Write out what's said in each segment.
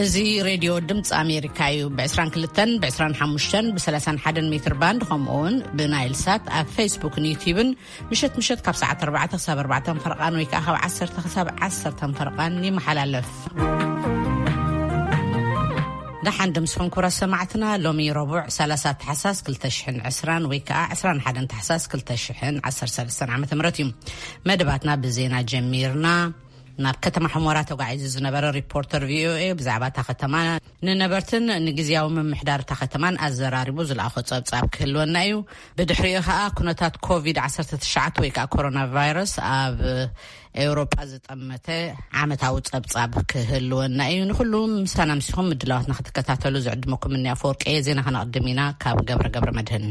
እዚ ሬድዮ ድምፂ ኣሜሪካ እዩ። ብ22፣ ብ25፣ ብ31 ሜትር ባንድ፣ ከምኡ እውን ብናይል ሳት ኣብ ፌስቡክን ዩቲዩብን ምሸት ምሸት ካብ ሰዓት ኣርባዕተ ክሳብ ኣርባዕተ ፈረቓን ወይ ከዓ ካብ ዓሰርተ ክሳብ ዓሰርተ ፈረቓን ይመሓላለፍ። ደሓን ድምስኹም ክብረት ሰማዕትና። ሎሚ ረቡዕ ሰላሳ ታሕሳስ ክልተ ሽሕን ዕስራን ወይ ከዓ ዕስራን ሓደን ታሕሳስ ክልተ ሽሕን ዓሰርተ ሰለስተን ዓመተ ምህረት እዩ። መደባትና ብዜና ጀሚርና። ናብ ከተማ ሕሞራ ተጓዒዙ ዝነበረ ሪፖርተር ቪኦኤ ብዛዕባ እታ ከተማ፣ ንነበርትን ንግዝያዊ ምምሕዳር እታ ከተማን ኣዘራሪቡ ዝለኣኾ ጸብጻብ ክህልወና እዩ። ብድሕሪኡ ከኣ ኩነታት ኮቪድ ዓሰርተ ትሽዓተ ወይ ከኣ ኮሮና ቫይረስ ኣብ ኤውሮጳ ዝጠመተ ዓመታዊ ጸብጻብ ክህልወና እዩ። ንኹሉ ምሳና ምሲኹም ምድላዋትና ክትከታተሉ ዝዕድመኩም እኒ ኣፈወርቂ እየ። ዜና ከነቕድም ኢና ካብ ገብረ ገብረ መድህን።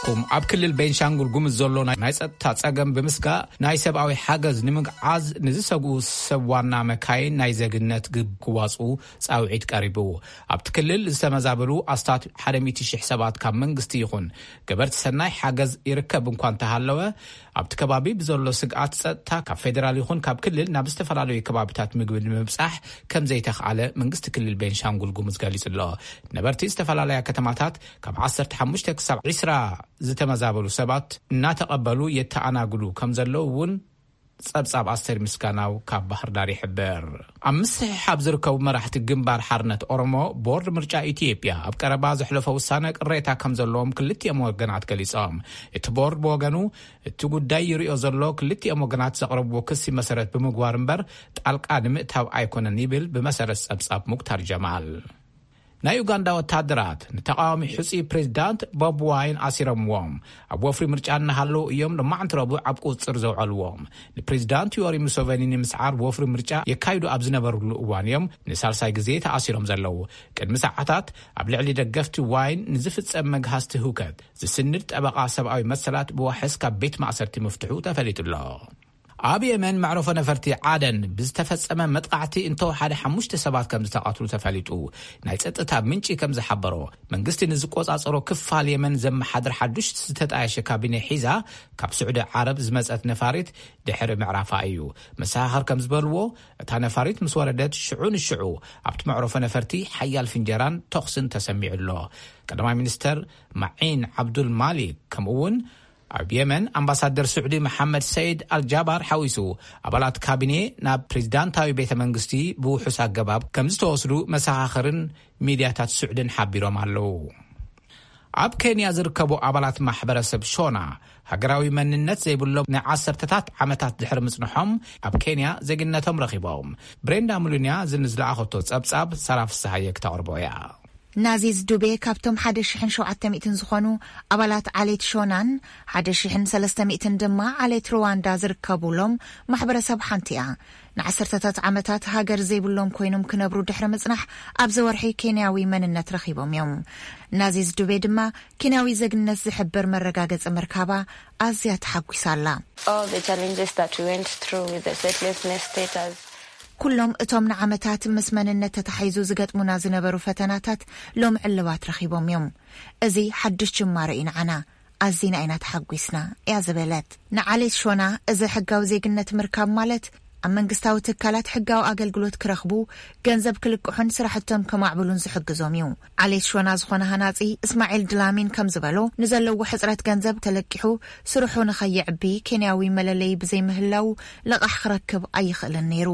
ኩም ኣብ ክልል ቤንሻንጉል ጉምዝ ዘሎ ናይ ናይ ጸጥታ ጸገም ብምስጋእ ናይ ሰብኣዊ ሓገዝ ንምግዓዝ ንዝሰግኡ ሰብ ዋና መካይን ናይ ዜግነት ግብ ክዋጽኡ ጻውዒት ቀሪቡ። ኣብቲ ክልል ዝተመዛበሉ ኣስታት ሓደ ሚእቲ ሺሕ ሰባት ካብ መንግስቲ ይኹን ገበርቲ ሰናይ ሓገዝ ይርከብ እንኳ እንተሃለወ፣ ኣብቲ ከባቢ ብዘሎ ስግኣት ጸጥታ ካብ ፌደራል ይኹን ካብ ክልል ናብ ዝተፈላለዩ ከባቢታት ምግቢ ንምብጻሕ ከም ዘይተኽኣለ መንግስቲ ክልል ቤንሻንጉል ጉሙዝ ገሊጹ ኣሎ። ነበርቲ ዝተፈላለያ ከተማታት ካብ ዓሰርተ ሓሙሽተ ክሳብ ዕስራ ዝተመዛበሉ ሰባት እናተቐበሉ የተኣናግዱ ከም ዘለዉ እውን ጸብጻብ ኣስቴር ምስጋናው ካብ ባህር ዳር ይሕብር። ኣብ ምስሕሓብ ዝርከቡ መራሕቲ ግንባር ሓርነት ኦሮሞ፣ ቦርድ ምርጫ ኢትዮጵያ ኣብ ቀረባ ዘሕለፎ ውሳነ ቅሬታ ከም ዘለዎም ክልቲኦም ወገናት ገሊጾም። እቲ ቦርድ ብወገኑ፣ እቲ ጉዳይ ይሪኦ ዘሎ ክልቲኦም ወገናት ዘቕረብዎ ክሲ መሰረት ብምግባር እምበር ጣልቃ ንምእታው ኣይኮነን ይብል ብመሰረት ጸብጻብ ሙክታር ጀማል። ናይ ኡጋንዳ ወታደራት ንተቃዋሚ ሕጹይ ፕሬዝዳንት ቦብ ዋይን ኣሲሮምዎም ኣብ ወፍሪ ምርጫ እናሃለዉ እዮም ሎማዕንቲ ረቡዕ ኣብ ቁጽጽር ዘውዐልዎም። ንፕሬዝዳንት ዮሪ ሙሶቨኒ ንምስዓር ወፍሪ ምርጫ የካይዱ ኣብ ዝነበሩሉ እዋን እዮም ንሳልሳይ ግዜ ተኣሲሮም ዘለዉ። ቅድሚ ሰዓታት ኣብ ልዕሊ ደገፍቲ ዋይን ንዝፍጸም መግሃስቲ ህውከት ዝስንድ ጠበቓ ሰብኣዊ መሰላት ብዋሕስ ካብ ቤት ማእሰርቲ ምፍትሑ ተፈሊጡ ኣሎ። ኣብ የመን መዕረፎ ነፈርቲ ዓደን ብዝተፈጸመ መጥቃዕቲ እንተወሓደ ሓሙሽተ ሰባት ከም ዝተቐትሉ ተፈሊጡ። ናይ ጸጥታ ምንጪ ከም ዝሓበሮ፣ መንግስቲ ንዝቆጻጸሮ ክፋል የመን ዘመሓድር ሓዱሽ ዝተጣየሸ ካቢነ ሒዛ ካብ ስዑዲ ዓረብ ዝመጸት ነፋሪት ድሕሪ ምዕራፋ እዩ። መሰኻኽር ከም ዝበልዎ፣ እታ ነፋሪት ምስ ወረደት ሽዑ ንሽዑ ኣብቲ መዕረፎ ነፈርቲ ሓያል ፍንጀራን ተኹስን ተሰሚዑ ኣሎ። ቀዳማይ ሚኒስተር ማዒን ዓብዱል ማሊክ ከምኡ እውን ኣብ የመን ኣምባሳደር ስዑዲ መሓመድ ሰይድ ኣልጃባር ሓዊሱ ኣባላት ካቢኔ ናብ ፕሬዝዳንታዊ ቤተ መንግስቲ ብውሑስ ኣገባብ ከም ዝተወስዱ መሰኻኽርን ሚድያታት ስዑድን ሓቢሮም ኣለዉ። ኣብ ኬንያ ዝርከቡ ኣባላት ማሕበረሰብ ሾና ሃገራዊ መንነት ዘይብሎም ንዓሰርተታት ዓመታት ድሕሪ ምጽንሖም ኣብ ኬንያ ዜግነቶም ረኺቦም። ብሬንዳ ሙሉንያ ዝንዝለኣኸቶ ጸብጻብ ሰራ ፍስሃየ ክተቕርቦ እያ። ናዚዝ ዱቤ ካብቶም ሓደ ሽሕን ሸውዓተ ሚእትን ዝኾኑ ኣባላት ዓሌት ሾናን ሓደ ሽሕን ሰለስተ ሚእትን ድማ ዓሌት ሩዋንዳ ዝርከቡሎም ማሕበረሰብ ሓንቲ እያ። ንዓሰርተታት ዓመታት ሃገር ዘይብሎም ኮይኖም ክነብሩ ድሕሪ ምጽናሕ ኣብዚ ወርሒ ኬንያዊ መንነት ረኺቦም እዮም። ናዚዝ ዱቤ ድማ ኬንያዊ ዜግነት ዝሕብር መረጋገጺ ምርካባ ኣዝያ ተሓጒሳ ኣላ። All the challenges that we went through with the statelessness status. ኩሎም እቶም ንዓመታት ምስ መንነት ተታሒዙ ዝገጥሙና ዝነበሩ ፈተናታት ሎም ዕልባት ረኺቦም እዮም። እዚ ሓድሽ ጅማሮ እዩ ንዓና። ኣዚና ኢና ተሓጒስና እያ ዝበለት። ንዓሌት ሾና እዚ ሕጋዊ ዜግነት ምርካብ ማለት ኣብ መንግስታዊ ትካላት ሕጋዊ ኣገልግሎት ክረኽቡ፣ ገንዘብ ክልቅሑን ስራሕቶም ከማዕብሉን ዝሕግዞም እዩ። ዓሌት ሾና ዝኾነ ሃናጺ እስማዒል ድላሚን ከም ዝበሎ፣ ንዘለዎ ሕጽረት ገንዘብ ተለቂሑ ስርሑ ንኸይዕቢ ኬንያዊ መለለዪ ብዘይምህላው ልቓሕ ክረክብ ኣይኽእልን ነይሩ።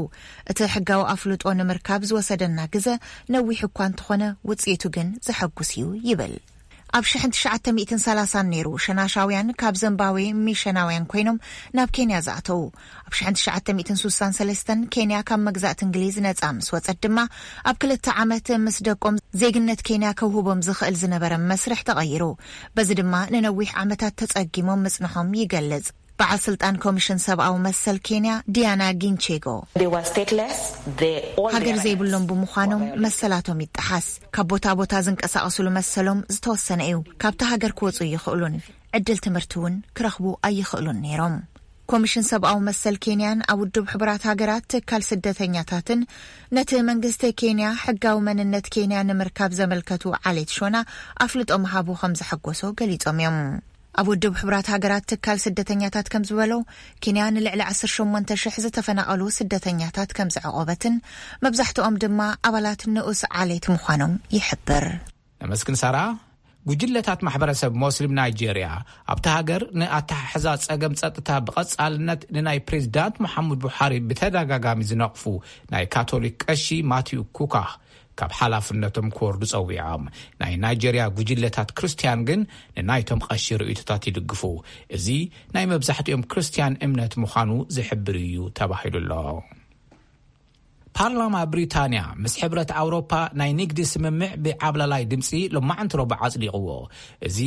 እቲ ሕጋዊ ኣፍልጦ ንምርካብ ዝወሰደና ግዘ ነዊሕ እኳ እንተኾነ ውጽኢቱ ግን ዘሐጉስ እዩ ይብል። ኣብ ሽሕን ትሽዓተ ሚእትን ሰላሳን ነይሩ ሸናሻውያን ካብ ዘምባዌ ሚሸናውያን ኮይኖም ናብ ኬንያ ዝኣተዉ። ኣብ ሽሕን ትሽዓተ ሚእትን ሱሳን ሰለስተን ኬንያ ካብ መግዛእቲ እንግሊዝ ነጻ ምስ ወጸት ድማ ኣብ ክልተ ዓመት ምስ ደቆም ዜግነት ኬንያ ከውህቦም ዝኽእል ዝነበረ መስርሕ ተቐይሩ። በዚ ድማ ንነዊሕ ዓመታት ተጸጊሞም ምጽንሖም ይገልጽ። በዓል ስልጣን ኮሚሽን ሰብኣዊ መሰል ኬንያ ዲያና ጊንቼጎ፣ They were stateless. They, all ሃገር their ዘይብሎም rights ብምዃኖም were violated. መሰላቶም ይጠሓስ። ካብ ቦታ ቦታ ዝንቀሳቐሱሉ መሰሎም ዝተወሰነ እዩ። ካብታ ሃገር ክወጹ ይኽእሉን ዕድል ትምህርቲ እውን ክረኽቡ ኣይኽእሉን ነይሮም። ኮሚሽን ሰብኣዊ መሰል ኬንያን ኣብ ውድብ ሕቡራት ሃገራት ትካል ስደተኛታትን ነቲ መንግስቲ ኬንያ ሕጋዊ መንነት ኬንያ ንምርካብ ዘመልከቱ ዓሌት ሾና ኣፍልጦ ምሃቡ ከም ዘሐጎሶ ገሊጾም እዮም። ኣብ ውድብ ሕቡራት ሃገራት ትካል ስደተኛታት ከም ዝበሎ፣ ኬንያ ንልዕሊ ዓሰርተ ሸሞንተ ሽሕ ዝተፈናቐሉ ስደተኛታት ከም ዘዕቖበትን፣ መብዛሕትኦም ድማ ኣባላት ንኡስ ዓሌት ምዃኖም ይሕብር። ነመስግን ሳራ። ጉጅለታት ማሕበረሰብ ሞስሊም ናይጄርያ ኣብቲ ሃገር ንኣተሓሕዛ ጸገም ጸጥታ ብቐጻልነት ንናይ ፕሬዚዳንት መሓሙድ ቡሓሪ ብተደጋጋሚ ዝነቕፉ ናይ ካቶሊክ ቀሺ ማቲዩ ኩካ ካብ ሓላፍነቶም ክወርዱ ጸዊዖም። ናይ ናይጄርያ ጉጅለታት ክርስትያን ግን ንናይቶም ቀሺ ርእይቶታት ይድግፉ። እዚ ናይ መብዛሕትኦም ክርስትያን እምነት ምዃኑ ዝሕብር እዩ ተባሂሉ ኣሎ። ፓርላማ ብሪታንያ ምስ ሕብረት ኣውሮፓ ናይ ንግዲ ስምምዕ ብዓብላላይ ድምፂ ሎማዕንቲ ረቡዕ ኣጽዲቕዎ። እዚ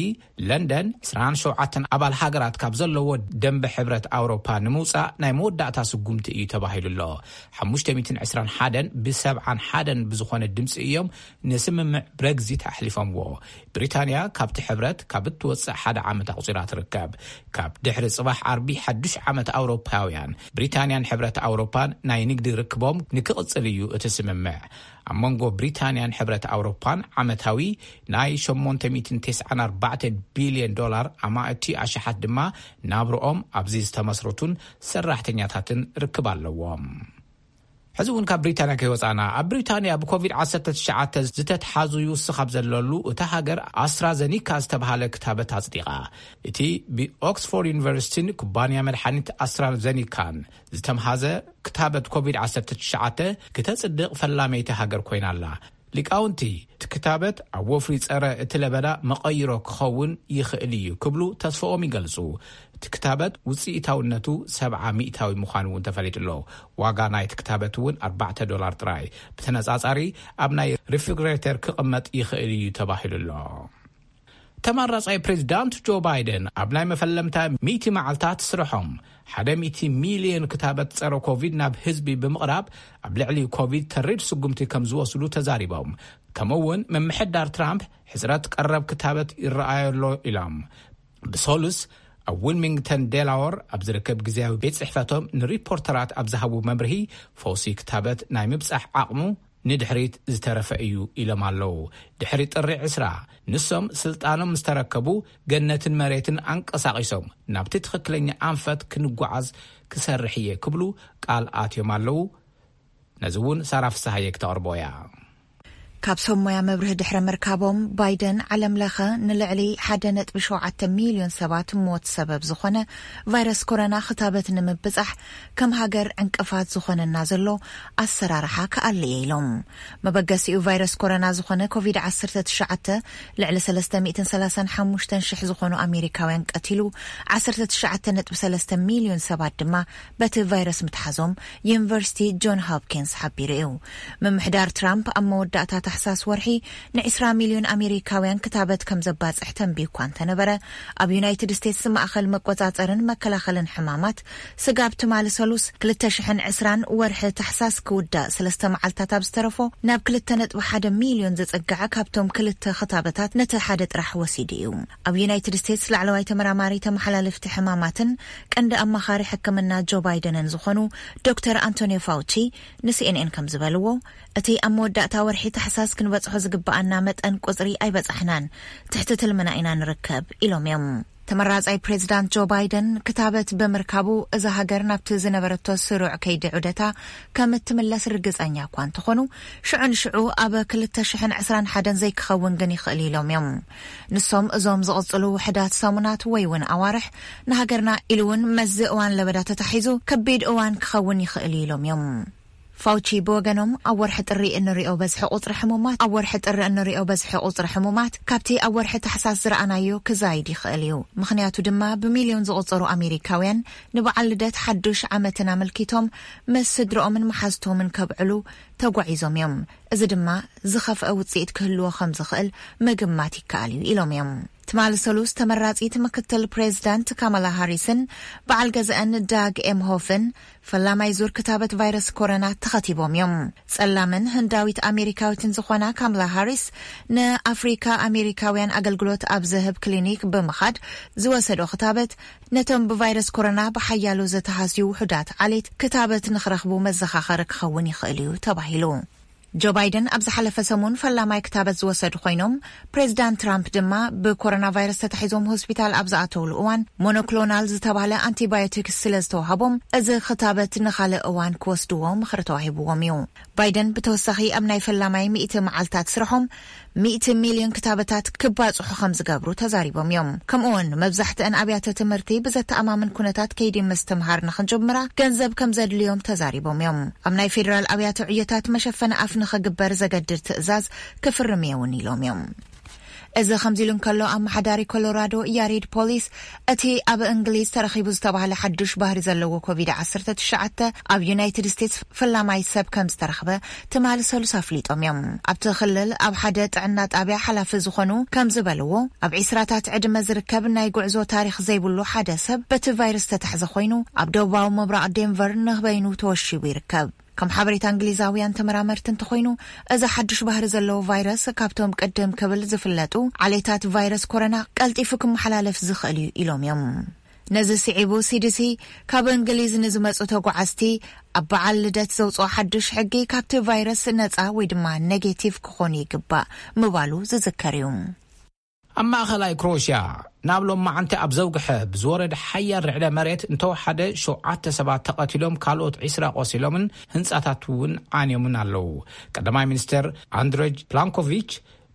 ለንደን ዕስራን ሸውዓተን ኣባል ሃገራት ካብ ዘለዎ ደንበ ሕብረት ኣውሮፓ ንምውፃእ ናይ መወዳእታ ስጉምቲ እዩ ተባሂሉ ኣሎ። ሓሙሽተ ሚእትን ዕስራን ሓደን ብሰብዓን ሓደን ብዝኾነ ድምፂ እዮም ንስምምዕ ብረግዚት ኣሕሊፎምዎ። ብሪታንያ ካብቲ ሕብረት ካብ እትወፅእ ሓደ ዓመት ኣቑፂራ ትርከብ። ካብ ድሕሪ ጽባሕ ዓርቢ ሓዱሽ ዓመት ኣውሮፓውያን፣ ብሪታንያን ሕብረት ኣውሮፓን ናይ ንግዲ ርክቦም ንክቕጽል እዩ እቲ ስምምዕ። ኣብ መንጎ ብሪታንያን ሕብረት ኣውሮፓን ዓመታዊ ናይ ሸሞንተ ሚእትን ተስዓን ኣርባዕተን ቢልዮን ዶላር ኣማእቲ ኣሽሓት ድማ ናብርኦም ኣብዚ ዝተመስረቱን ሰራሕተኛታትን ርክብ ኣለዎም። ሕዚ እውን ካብ ብሪታንያ ከይወፃና፣ ኣብ ብሪታንያ ብኮቪድ ዓሰርተ ትሽዓተ ዝተትሓዙ ይውስኽ ኣብ ዘለሉ፣ እታ ሃገር ኣስትራዘኒካ ዝተባሃለ ክታበት ኣጽዲቓ። እቲ ብኦክስፎርድ ዩኒቨርሲቲን ኩባንያ መድሓኒት ኣስትራዘኒካን ዝተምሃዘ ክታበት ኮቪድ ዓሰርተ ትሽዓተ ክተጽድቕ ፈላመይቲ ሃገር ኮይና ኣላ። ሊቃውንቲ፣ እቲ ክታበት ኣብ ወፍሪ ጸረ እቲ ለበዳ መቐይሮ ክኸውን ይኽእል እዩ ክብሉ ተስፋኦም ይገልጹ። እቲ ክታበት ውጽኢታውነቱ ሰብዓ ሚእታዊ ምዃኑ እውን ተፈሊጡ ኣሎ። ዋጋ ናይቲ ክታበት እውን ኣርባዕተ ዶላር ጥራይ። ብተነጻጻሪ ኣብ ናይ ሪፍሪግሬተር ክቕመጥ ይኽእል እዩ ተባሂሉ ኣሎ። ተመራጻይ ፕሬዚዳንት ጆ ባይደን ኣብ ናይ መፈለምታ ሚእቲ መዓልታት ስርሖም ሓደ ሚእቲ ሚልዮን ክታበት ጸረ ኮቪድ ናብ ህዝቢ ብምቕራብ ኣብ ልዕሊ ኮቪድ ተሪር ስጉምቲ ከም ዝወስዱ ተዛሪቦም። ከምኡ እውን ምምሕዳር ትራምፕ ሕጽረት ቀረብ ክታበት ይረኣዮ ኣሎ ኢሎም። ብሰሉስ ኣብ ዊልሚንግተን ዴላወር ኣብ ዝርከብ ግዜያዊ ቤት ጽሕፈቶም ንሪፖርተራት ኣብ ዝሃቡ መምርሂ፣ ፈውሲ ክታበት ናይ ምብጻሕ ዓቕሙ ንድሕሪት ዝተረፈ እዩ ኢሎም ኣለዉ። ድሕሪ ጥሪ ዕስራ ንሶም ስልጣኖም ምስ ተረከቡ፣ ገነትን መሬትን ኣንቀሳቒሶም ናብቲ ትኽክለኛ ኣንፈት ክንጓዓዝ ክሰርሕ እየ ክብሉ ቃል ኣትዮም ኣለዉ። ነዚ እውን ሳራ ፍስሃየ ክተቕርቦ እያ። ካብ ሰብ ሞያ መብርሂ ድሕሪ ምርካቦም፣ ባይደን ዓለም ለኸ ንልዕሊ ሓደ ነጥቢ ሸውዓተ ሚልዮን ሰባት ሞት ሰበብ ዝኾነ ቫይረስ ኮሮና ክታበት ንምብጻሕ ከም ሃገር ዕንቅፋት ዝኾነና ዘሎ ኣሰራርሓ ክኣሊ እየ ኢሎም። መበገሲኡ ቫይረስ ኮሮና ዝኾነ ኮቪድ ዓሰርተ ትሽዓተ ልዕሊ ሰለስተ ሚእትን ሰላሳን ሓሙሽተን ሽሕ ዝኾኑ ኣሜሪካውያን ቀቲሉ፣ ዓሰርተ ትሽዓተ ነጥቢ ሰለስተ ሚልዮን ሰባት ድማ በቲ ቫይረስ ምትሓዞም ዩኒቨርሲቲ ጆን ሆፕኪንስ ሓቢሩ እዩ። ምምሕዳር ትራምፕ ኣብ መወዳእታ ታሕሳስ ወርሒ ንዕስራ ሚልዮን ኣሜሪካውያን ክታበት ከም ዘባጽሕ ተንቢዩ እኳ እንተነበረ፣ ኣብ ዩናይትድ ስቴትስ ማእኸል መቆጻጸርን መከላኸልን ሕማማት ስጋብ ትማሊ ሰሉስ ክልተ ሽሕን ዕስራን ወርሒ ታሕሳስ ክውዳእ ሰለስተ መዓልታት ኣብ ዝተረፎ፣ ናብ ክልተ ነጥቢ ሓደ ሚልዮን ዘጸግዐ ካብቶም ክልተ ክታበታት ነቲ ሓደ ጥራሕ ወሲዱ እዩ። ኣብ ዩናይትድ ስቴትስ ላዕለዋይ ተመራማሪ ተመሓላለፍቲ ሕማማትን ቀንዲ ኣማኻሪ ሕክምና ጆ ባይደንን ዝኾኑ ዶክተር ኣንቶኒዮ ፋውቺ ንሲኤንኤን ከም ዝበልዎ፣ እቲ ኣብ መወዳእታ ወርሒ ታሕሳስ ክንበጽሖ ዝግብኣና መጠን ቁጽሪ ኣይበጻሕናን፣ ትሕቲ ትልምና ኢና ንርከብ ኢሎም እዮም። ተመራጻይ ፕሬዚዳንት ጆ ባይደን ክታበት ብምርካቡ፣ እዛ ሃገር ናብቲ ዝነበረቶ ስሩዕ ከይዲ ዑደታ ከም እትምለስ ርግጸኛ እኳ እንተኾኑ፣ ሽዑ ንሽዑ ኣብ ክልተ ሽሕን ዕስራን ሓደን ዘይክኸውን ግን ይኽእል ኢሎም እዮም። ንሶም እዞም ዝቕጽሉ ውሕዳት ሰሙናት ወይ እውን ኣዋርሕ ንሃገርና ኢሉ እውን መስዚ እዋን ለበዳ ተታሒዙ ከቢድ እዋን ክኸውን ይኽእል እዩ ኢሎም እዮም። ፋውቺ ብወገኖም፣ ኣብ ወርሒ ጥሪ እንሪኦ በዝሒ ቁጽሪ ሕሙማት፣ ኣብ ወርሒ ጥሪ እንሪኦ በዝሒ ቁጽሪ ሕሙማት ካብቲ ኣብ ወርሒ ታሕሳስ ዝረኣናዮ ክዛይድ ይኽእል እዩ። ምኽንያቱ ድማ ብሚልዮን ዝቑጸሩ ኣሜሪካውያን ንበዓል ልደት ሓዱሽ ዓመትን ኣመልኪቶም ምስ ስድርኦምን መሓዝቶምን ከብዕሉ ተጓዒዞም እዮም። እዚ ድማ ዝኸፍአ ውጽኢት ክህልዎ ከም ዝኽእል ምግማት ይከኣል እዩ ኢሎም እዮም። ትማሊ ሰሉስ ተመራጺት ምክትል ፕሬዚዳንት ካማላ ሃሪስን በዓል ገዛእን ዳግ ኤምሆፍን ፈላማይ ዙር ክታበት ቫይረስ ኮሮና ተኸቲቦም እዮም። ጸላምን ህንዳዊት ኣሜሪካዊትን ዝኾና ካምላ ሃሪስ ንኣፍሪካ ኣሜሪካውያን ኣገልግሎት ኣብ ዝህብ ክሊኒክ ብምኻድ ዝወሰዶ ክታበት ነቶም ብቫይረስ ኮሮና ብሓያሎ ዝተሃስዩ ውሑዳት ዓሌት ክታበት ንኽረኽቡ መዘኻኸሪ ክኸውን ይኽእል እዩ ተባሂሉ። ጆ ባይደን ኣብ ዝሓለፈ ሰሙን ፈላማይ ክታበት ዝወሰዱ ኮይኖም፣ ፕሬዚዳንት ትራምፕ ድማ ብኮሮና ቫይረስ ተታሒዞም ሆስፒታል ኣብ ዝኣተውሉ እዋን ሞኖክሎናል ዝተባህለ ኣንቲባዮቲክስ ስለ ዝተዋሃቦም፣ እዚ ክታበት ንኻልእ እዋን ክወስድዎ ምኽሪ ተዋሂብዎም እዩ። ባይደን ብተወሳኺ ኣብ ናይ ፈላማይ ሚእቲ መዓልታት ስርሖም ሚእቲ ሚልዮን ክታበታት ክባጽሑ ከም ዝገብሩ ተዛሪቦም እዮም። ከምኡውን መብዛሕትአን ኣብያተ ትምህርቲ ብዘተኣማምን ኩነታት ከይዲ ምስትምሃር ንኽንጀምራ ገንዘብ ከም ዘድልዮም ተዛሪቦም እዮም። ኣብ ናይ ፌዴራል ኣብያተ ዕዮታት መሸፈኒ ኣፍ ንኽግበር ዘገድድ ትእዛዝ ክፍርም እየ እውን ኢሎም እዮም። እዚ ከምዚ ኢሉ እንከሎ፣ ኣመሓዳሪ ኮሎራዶ ያሬድ ፖሊስ እቲ ኣብ እንግሊዝ ተረኺቡ ዝተባህለ ሓዱሽ ባህሪ ዘለዎ ኮቪድ ዓሰርተ ትሽዓተ ኣብ ዩናይትድ ስቴትስ ፈላማይ ሰብ ከም ዝተረኽበ ትማሊ ሰሉስ ኣፍሊጦም እዮም። ኣብቲ ክልል ኣብ ሓደ ጥዕና ጣብያ ሓላፊ ዝኾኑ ከም ዝበልዎ፣ ኣብ ዒስራታት ዕድመ ዝርከብ ናይ ጉዕዞ ታሪኽ ዘይብሉ ሓደ ሰብ በቲ ቫይረስ ተታሕዘ ኮይኑ፣ ኣብ ደቡባዊ ምብራቕ ዴንቨር ንበይኑ ተወሺቡ ይርከብ። ከም ሓበሬታ እንግሊዛውያን ተመራመርቲ እንተኾይኑ፣ እዚ ሓዱሽ ባህሪ ዘለዎ ቫይረስ ካብቶም ቅድም ክብል ዝፍለጡ ዓሌታት ቫይረስ ኮሮና ቀልጢፉ ክመሓላለፍ ዝኽእል እዩ ኢሎም እዮም። ነዚ ስዒቡ፣ ሲዲሲ ካብ እንግሊዝ ንዝመጹ ተጓዓዝቲ ኣብ በዓል ልደት ዘውፅኦ ሓዱሽ ሕጊ ካብቲ ቫይረስ ነፃ ወይ ድማ ኔጌቲቭ ክኾኑ ይግባእ ምባሉ ዝዝከር እዩ። ኣብ ማእኸላይ ክሮኤሽያ ናብ ሎማዓንቲ ኣብ ዘውግሐ ብዝወረደ ሓያል ርዕደ መሬት እንተወሓደ ሸውዓተ ሰባት ተቐቲሎም፣ ካልኦት ዒስራ ቆሲሎምን ህንጻታት እውን ዓንዮምን ኣለዉ። ቀዳማይ ሚኒስተር ኣንድረጅ ፕላንኮቪች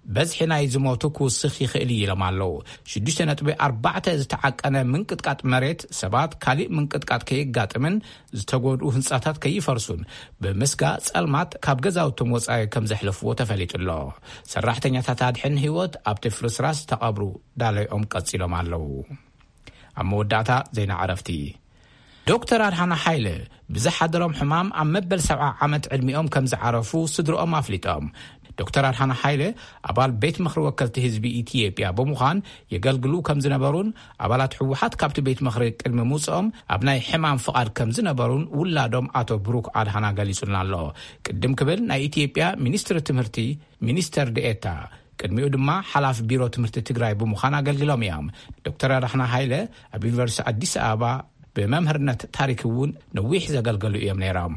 በዝሒ ናይ ዝሞቱ ክውስኽ ይኽእል እዩ ኢሎም ኣለዉ። ሽዱሽተ ነጥቢ ኣርባዕተ ዝተዓቀነ ምንቅጥቃጥ መሬት ሰባት ካሊእ ምንቅጥቃጥ ከየጋጥምን ዝተጎድኡ ህንጻታት ከይፈርሱን ብምስጋ ጸልማት ካብ ገዛውቶም ወጻኢ ከም ዘሕለፍዎ ተፈሊጡ ኣሎ። ሰራሕተኛታት ኣድሕን ህይወት ኣብቲ ፍርስራስ ተቐብሩ ዳለይኦም ቀጺሎም ኣለዉ። ኣብ መወዳእታ ዜና ዕረፍቲ። ዶክተር ኣድሓና ሓይለ ብዝሓደሮም ሕማም ኣብ መበል ሰብዓ ዓመት ዕድሚኦም ከም ዝዓረፉ ስድሮኦም ኣፍሊጦም። ዶክተር ኣድሓና ሓይለ ኣባል ቤት ምኽሪ ወከልቲ ህዝቢ ኢትዮጵያ ብምዃን የገልግሉ ከም ዝነበሩን ኣባላት ህወሓት ካብቲ ቤት ምኽሪ ቅድሚ ምውፅኦም ኣብ ናይ ሕማም ፍቓድ ከም ዝነበሩን ውላዶም ኣቶ ብሩክ ኣድሓና ገሊጹልና ኣሎ። ቅድም ክብል ናይ ኢትዮጵያ ሚኒስትሪ ትምህርቲ ሚኒስተር ዴኤታ፣ ቅድሚኡ ድማ ሓላፊ ቢሮ ትምህርቲ ትግራይ ብምዃን ኣገልግሎም እዮም። ዶክተር ኣድሓና ሃይለ ኣብ ዩኒቨርሲቲ ኣዲስ ኣበባ ብመምህርነት ታሪክ እውን ነዊሕ ዘገልገሉ እዮም ነይሮም።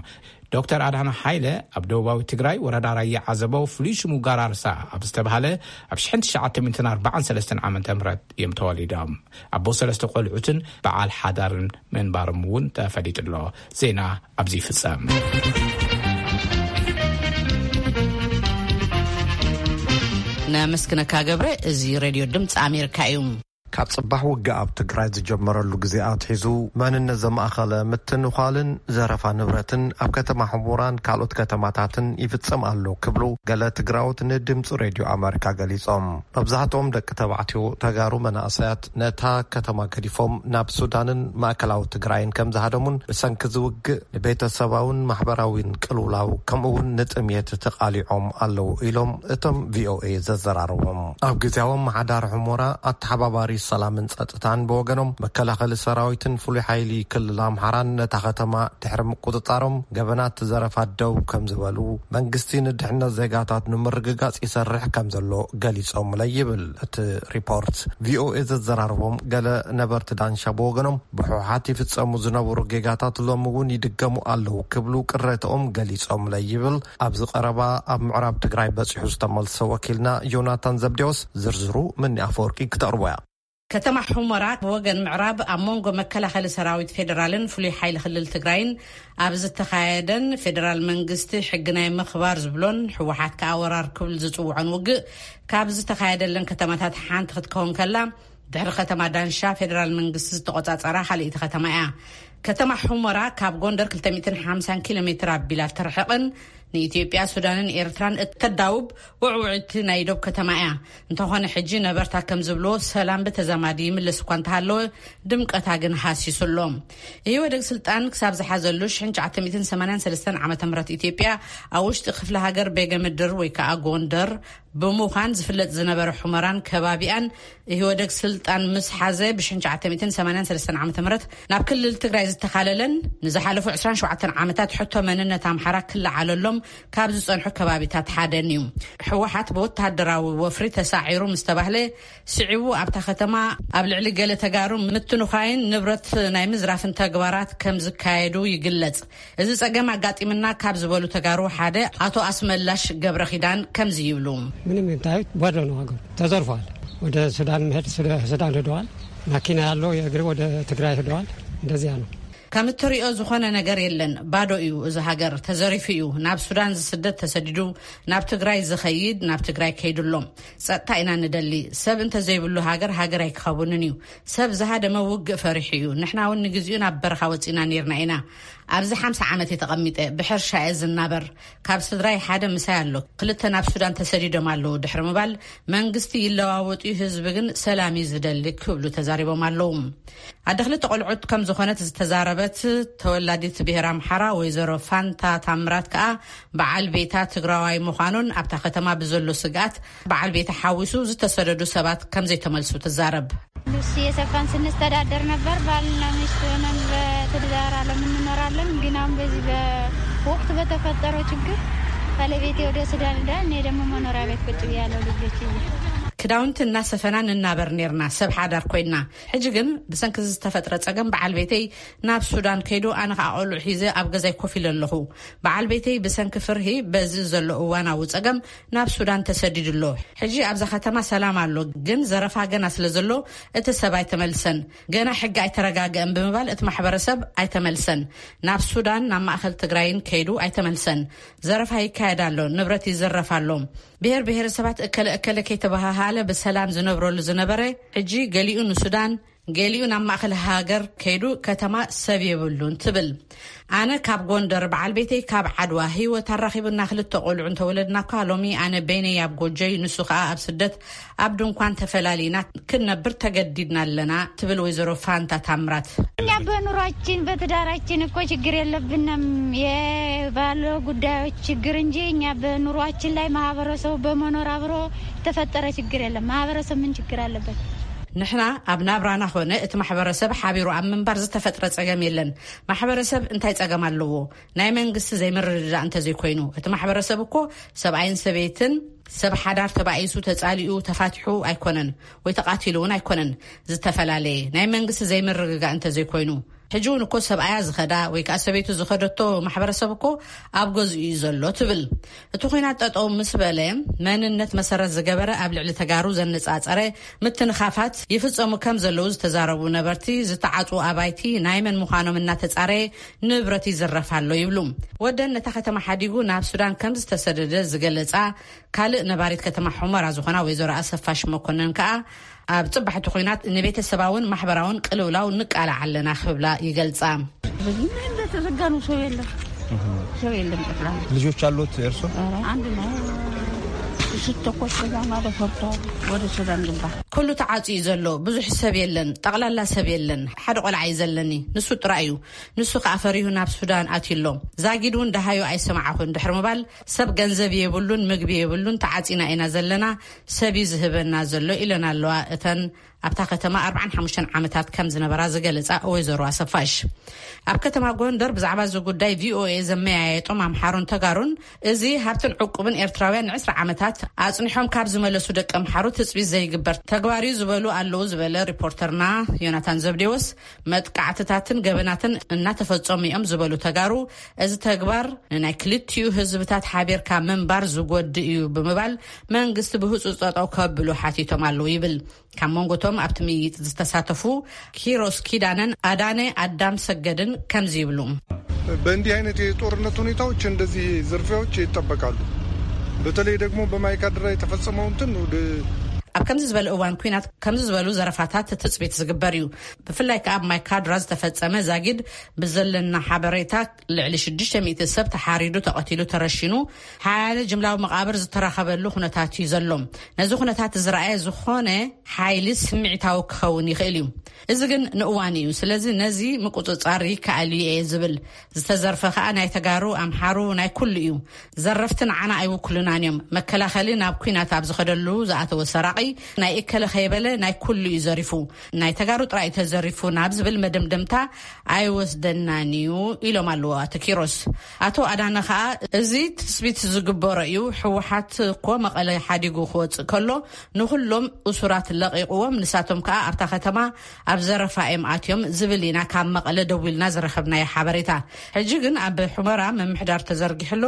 ዶክተር ኣድሓና ሃይለ ኣብ ደቡባዊ ትግራይ ወረዳ ራያ ዓዘቦ ፍሉይ ሽሙ ጋራርሳ ኣብ ዝተባህለ ኣብ ሽሕን ትሽዓተ ሚእትን ኣርባዓን ሰለስተን ዓመተ ምህረት እዮም ተወሊዶም። ኣቦ ሰለስተ ቆልዑትን በዓል ሓዳርን ምንባሮም እውን ተፈሊጡ ኣሎ። ዜና ኣብዚ ይፍጸም። ነመስግነካ ገብረ። እዚ ሬድዮ ድምፂ ኣሜሪካ እዩ። ካብ ጽባሕ ውግእ ኣብ ትግራይ ዝጀመረሉ ግዜ ኣትሒዙ መንነት ዘማእኸለ ምትንዃልን ዘረፋ ንብረትን ኣብ ከተማ ሕሙራን ካልኦት ከተማታትን ይፍጸም ኣሎ ክብሉ ገለ ትግራዎት ንድምፂ ሬድዮ ኣሜሪካ ገሊጾም። መብዛሕትኦም ደቂ ተባዕትዮ ተጋሩ መናእሰያት ነታ ከተማ ገዲፎም ናብ ሱዳንን ማእከላዊ ትግራይን ከም ዝሃደሙን ብሰንኪ ዝውግእ ንቤተሰባውን ማሕበራዊን ቅልውላው ከምኡ እውን ንጥምየት ተቓሊዖም ኣለዉ ኢሎም እቶም ቪኦኤ ዘዘራረቦም። ኣብ ግዜያዊ ኣመሓዳሪ ሑሞራ ኣተሓባባሪ ሰላምን ጸጥታን ብወገኖም መከላኸሊ ሰራዊትን ፍሉይ ሓይሊ ክልል ኣምሓራን ነታ ከተማ ድሕሪ ምቁጽጻሮም ገበናት ዘረፋ ደው ከም ዝበሉ መንግስቲ ንድሕነት ዜጋታት ንምርግጋጽ ይሰርሕ ከም ዘሎ ገሊጾምለ ይብል እቲ ሪፖርት። ቪኦኤ ዘዘራረቦም ገለ ነበርቲ ዳንሻ ብወገኖም ብሕወሓት ይፍጸሙ ዝነበሩ ጌጋታት ሎሚ እውን ይድገሙ ኣለዉ ክብሉ ቅሬታኦም ገሊጾምለ ይብል ኣብዚ ቀረባ ኣብ ምዕራብ ትግራይ በጺሑ ዝተመልሰ ወኪልና ዮናታን ዘብዴዎስ። ዝርዝሩ ምኒ ኣፈወርቂ ክተቕርቦ እያ። ከተማ ሑመራ ብወገን ምዕራብ ኣብ መንጎ መከላኸሊ ሰራዊት ፌዴራልን ፍሉይ ሓይሊ ክልል ትግራይን ኣብ ዝተኻየደን ፌዴራል መንግስቲ ሕጊ ናይ ምኽባር ዝብሎን ህወሓት ከኣ ወራር ክብል ዝጽውዖን ውግእ ካብ ዝተኻየደለን ከተማታት ሓንቲ ክትከውን ከላ፣ ድሕሪ ከተማ ዳንሻ ፌዴራል መንግስቲ ዝተቖጻጸራ ካልኣይቲ ከተማ እያ። ከተማ ሑመራ ካብ ጎንደር ክልተ ሚእትን ሓምሳን ኪሎ ሜትር ኣቢላ ትርሕቕን ንኢትዮጵያ፣ ሱዳንን ኤርትራን እተዳውብ ውዕውዕቲ ናይ ዶብ ከተማ እያ። እንተኾነ ሕጂ ነበርታ ከም ዝብልዎ ሰላም ብተዛማዲ ይምለስ እኳ እንተሃለወ ድምቀታ ግን ሃሲሱ ኣሎ። ኢህወደግ ስልጣን ክሳብ ዝሓዘሉ ሽሕን ትሽዓተ ሚእትን ሰማንያን ሰለስተን ዓመተ ምህረት ኢትዮጵያ ኣብ ውሽጢ ክፍለ ሃገር ቤገ ምድር ወይ ከዓ ጎንደር ብምዃን ዝፍለጥ ዝነበረ ሑመራን ከባቢኣን ኢህወደግ ስልጣን ምስ ሓዘ ብሽሕን ትሽዓተ ሚእትን ሰማንያን ሰለስተን ዓመተ ምህረት ናብ ክልል ትግራይ ዝተኻለለን ንዝሓለፉ ዕስራን ሸውዓተን ዓመታት ሕቶ መንነት ኣምሓራ ክለዓለሎም ካብ ዝጸንሑ ከባቢታት ሓደን እዩ። ህወሓት ብወተሃደራዊ ወፍሪ ተሳዒሩ ምስ ተባህለ፣ ስዒቡ ኣብታ ከተማ ኣብ ልዕሊ ገለ ተጋሩ ምትንዃይን ንብረት ናይ ምዝራፍን ተግባራት ከም ዝካየዱ ይግለጽ። እዚ ጸገም ኣጋጢምና ካብ ዝበሉ ተጋሩ ሓደ ኣቶ ኣስመላሽ ገብረ ኪዳን ከምዚ ይብሉ። ምንም እንታዩት ባዶ ነው፣ ሀገሩ ተዘርፏል። ወደ ሱዳን መሄድ፣ ሱዳ- ሱዳን ሄደዋል። ማኪና ያለው የእግር ወደ ትግራይ ሄደዋል። እንደዚያ ነው። ከም እትሪኦ ዝኾነ ነገር የለን። ባዶ እዩ። እዚ ሃገር ተዘሪፉ እዩ። ናብ ሱዳን ዝስደድ ተሰዲዱ፣ ናብ ትግራይ ዝኸይድ ናብ ትግራይ ከይድሎም። ጸጥታ ኢና ንደሊ። ሰብ እንተዘይብሉ ሃገር፣ ሃገር ኣይክኸውንን እዩ። ሰብ ዝሃደመ ውግእ ፈሪሑ እዩ። ንሕና እውን ንግዚኡ ናብ በረኻ ወፂና ነይርና ኢና። ኣብዚ ሓምሳ ዓመት እየ ተቐሚጠ። ብሕርሻ እየ ዝናበር። ካብ ስድራይ ሓደ ምሳይ ኣሎ። ክልተ ናብ ሱዳን ተሰዲዶም ኣለዉ ድሕሪ ምባል፣ መንግስቲ ይለዋወጥ እዩ፣ ህዝቢ ግን ሰላም እዩ ዝደሊ ክብሉ ተዛሪቦም ኣለዉ። ኣደ ክልተ ቆልዑት ከም ዝኾነት ዝተዛረበት ተወላዲት ብሄር ኣምሓራ ወይዘሮ ፋንታ ታምራት ከኣ፣ በዓል ቤታ ትግራዋይ ምዃኑን ኣብታ ከተማ ብዘሎ ስግኣት በዓል ቤታ ሓዊሱ ዝተሰደዱ ሰባት ከም ዘይተመልሱ ትዛረብ። ሉሲ የሰፋን ስንስተዳደር ነበር። ባልና ሚስት ሆነን በትዳር ዓለም እንኖራለን። ግን አሁን በዚህ በወቅቱ በተፈጠረው ችግር ባለቤቴ ወደ ሱዳን ሄደ፣ እኔ ደግሞ መኖሪያ ቤት ቁጭ ብያለሁ ልጆች ይዤ። ክዳውንቲ እናሰፈና ንናበር ኔርና፣ ሰብ ሓዳር ኮይና። ሕጂ ግን ብሰንኪ ዝተፈጥረ ጸገም በዓል ቤተይ ናብ ሱዳን ከይዱ፣ ኣነ ኸኣ ቆልዑ ሒዘ ኣብ ገዛይ ኮፍ ኢለ ኣለኹ። በዓል ቤተይ ብሰንኪ ፍርሂ በዚ ዘሎ እዋናዊ ጸገም ናብ ሱዳን ተሰዲዱ ኣሎ። ሕጂ ኣብዛ ከተማ ሰላም ኣሎ፣ ግን ዘረፋ ገና ስለ ዘሎ እቲ ሰብ ኣይተመልሰን። ገና ሕጊ ኣይተረጋገአን ብምባል እቲ ማሕበረሰብ ኣይተመልሰን። ናብ ሱዳን፣ ናብ ማእኸል ትግራይን ከይዱ ኣይተመልሰን። ዘረፋ ይካየድ ኣሎ፣ ንብረት ይዝረፍ ኣሎ። ብሔር ብሔረሰባት እከለ እከለ ከይተበሃሃለ ብሰላም ዝነብረሉ ዝነበረ፣ ሕጂ ገሊኡ ንሱዳን፣ ገሊኡ ናብ ማእኸል ሃገር ከይዱ፣ ከተማ ሰብ የብሉን ትብል። ኣነ ካብ ጎንደር፣ በዓል ቤተይ ካብ ዓድዋ፣ ህይወት ኣራኺቡና ክልተ ቆልዑ እንተወለድና እኳ፣ ሎሚ ኣነ በይነይ ኣብ ጎጆይ፣ ንሱ ከኣ ኣብ ስደት ኣብ ድንኳን ተፈላሊና ክንነብር ተገዲድና ኣለና ትብል ወይዘሮ ፋንታ ታምራት። እኛ በኑሯችን በትዳራችን እኮ ችግር የለብንም፣ የባለ ጉዳዮች ችግር እንጂ እኛ በኑሯችን ላይ ማህበረሰቡ በመኖር አብሮ የተፈጠረ ችግር የለም። ማህበረሰብ ምን ችግር አለበት? ንሕና ኣብ ናብራና ኾነ እቲ ማሕበረሰብ ሓቢሩ ኣብ ምንባር ዝተፈጥረ ጸገም የለን። ማሕበረሰብ እንታይ ጸገም ኣለዎ? ናይ መንግስቲ ዘይምርድዳእ እንተዘይኮይኑ፣ እቲ ማሕበረሰብ እኮ ሰብኣይን ሰበይትን፣ ሰብ ሓዳር ተባኢሱ ተጻሊኡ ተፋቲሑ ኣይኮነን፣ ወይ ተቓቲሉ እውን ኣይኮነን። ዝተፈላለየ ናይ መንግስቲ ዘይምርግጋእ እንተዘይኮይኑ፣ ሕጂ እውን እኮ ሰብኣያ ዝኸዳ ወይ ከኣ ሰበይቱ ዝኸደቶ ማሕበረሰብ እኮ ኣብ ገዝኡ እዩ ዘሎ ትብል። እቲ ኹናት ጠጠው ምስ በለ፣ መንነት መሰረት ዝገበረ ኣብ ልዕሊ ተጋሩ ዘነጻጸረ ምትንኻፋት ይፍጸሙ ከም ዘለዉ ዝተዛረቡ ነበርቲ፣ ዝተዓጽዉ ኣባይቲ ናይ መን ምዃኖም እናተጻረየ ንብረት ይዝረፍ ኣሎ ይብሉ። ወደን ነታ ከተማ ሓዲጉ ናብ ሱዳን ከም ዝተሰደደ ዝገለጻ ካልእ ነባሪት ከተማ ሑመራ ዝኾና ወይዘሮ ኣሰፋሽ መኮነን ከኣ፣ ኣብ ጽባሕቲ ኹናት ንቤተሰባውን ማሕበራውን ቅልውላው ንቃላዕ ኣለና ክብላ ይገልጻ። በዚህ ምን እንደተዘጋ ነው፣ ሰው የለም፣ ሰው የለም ጠቅላላ። ልጆች አሉት እርሶ? ኧረ አንድ ነው። ስትተኮስ ከዛ ማዶ ፈርቶ ወደ ሱዳን ግባ። ኩሉ ተዓጽዩ ዘሎ፣ ብዙሕ ሰብ የለን፣ ጠቕላላ ሰብ የለን። ሓደ ቆልዓ እዩ ዘለኒ፣ ንሱ ጥራይ እዩ። ንሱ ከኣ ፈሪሁ ናብ ሱዳን ኣትዩ ኣሎ። ዛጊድ እውን ደሃዩ ኣይሰማዕኹን ድሕሪ ምባል፣ ሰብ ገንዘብ የብሉን፣ ምግቢ የብሉን፣ ተዓጺና ኢና ዘለና፣ ሰብ እዩ ዝህበና ዘሎ ኢለን ኣለዋ እተን ኣብታ ከተማ ኣርባዓን ሓሙሽተን ዓመታት ከም ዝነበራ ዝገለጻ ወይዘሮ ኣሰፋሽ። ኣብ ከተማ ጎንደር ብዛዕባ እዚ ጉዳይ ቪኦኤ ዘመያየጦም ኣምሓሩን ተጋሩን፣ እዚ ሃብትን ዕቁብን ኤርትራውያን ንዕስራ ዓመታት ኣጽኒሖም ካብ ዝመለሱ ደቂ ኣምሓሩ ትጽቢት ዘይግበር ተግባር እዩ ዝበሉ ኣለዉ ዝበለ ሪፖርተርና ዮናታን ዘብዴዎስ፣ መጥቃዕትታትን ገበናትን እናተፈጸሙ እዮም ዝበሉ ተጋሩ፣ እዚ ተግባር ንናይ ክልቲኡ ህዝብታት ሓቢርካ ምንባር ዝጎድእ እዩ ብምባል መንግስቲ ብህጹጽ ጠጠው ከብሉ ሓቲቶም ኣለዉ ይብል። ካብ መንጎቶም ኣብቲ ምይይጥ ዝተሳተፉ ኪሮስ ኪዳነን ኣዳነ ኣዳም ሰገድን ከምዚ ይብሉ። በእንዲህ አይነት የጦርነት ሁኔታዎች እንደዚህ ዝርፊያዎች ይጠበቃሉ። በተለይ ደግሞ በማይካድራ የተፈጸመው እንትን ወደ ኣብ ከምዚ ዝበለ እዋን ኲናት ከምዚ ዝበሉ ዘረፋታት ትጽቢት ዝግበር እዩ። ብፍላይ ከኣ ኣብ ማይካድራ ዝተፈጸመ ዛጊድ ብዘለና ሓበሬታ ልዕሊ ሽዱሽተ ሚእቲ ሰብ ተሓሪዱ፣ ተቐቲሉ፣ ተረሺኑ፣ ሓያለ ጅምላዊ መቓብር ዝተረኸበሉ ኩነታት እዩ ዘሎ። ነዚ ኩነታት ዝረኣየ ዝኾነ ሓይሊ ስምዒታዊ ክኸውን ይኽእል እዩ። እዚ ግን ንእዋን እዩ። ስለዚ ነዚ ምቁጽጻር ይከኣል እዩ እየ ዝብል። ዝተዘርፈ ከኣ ናይ ተጋሩ፣ ኣምሓሩ፣ ናይ ኩሉ እዩ። ዘረፍቲ ንዓና ኣይውክሉናን እዮም። መከላኸሊ ናብ ኲናት ኣብ ዝኸደሉ ዝኣተወ ሰራቒ ናይ እከለ ከይበለ ናይ ኩሉ እዩ ዘሪፉ፣ ናይ ተጋሩ ጥራይ እዩ ተዘሪፉ ናብ ዝብል መደምደምታ ኣይወስደናን እዩ ኢሎም ኣለዉ ኣቶ ኪሮስ። ኣቶ ኣዳነ ከኣ፣ እዚ ትስቢት ዝግበሮ እዩ። ህወሓት እኮ መቐለ ሓዲጉ ክወፅእ ከሎ ንኹሎም እሱራት ለቒቕዎም፣ ንሳቶም ከኣ ኣብታ ከተማ ኣብ ዘረፋ እዮም ኣትዮም ዝብል ኢና ካብ መቐለ ደዊልና ዝረኸብናዮ ሓበሬታ። ሕጂ ግን ኣብ ሑመራ ምምሕዳር ተዘርጊሕሎ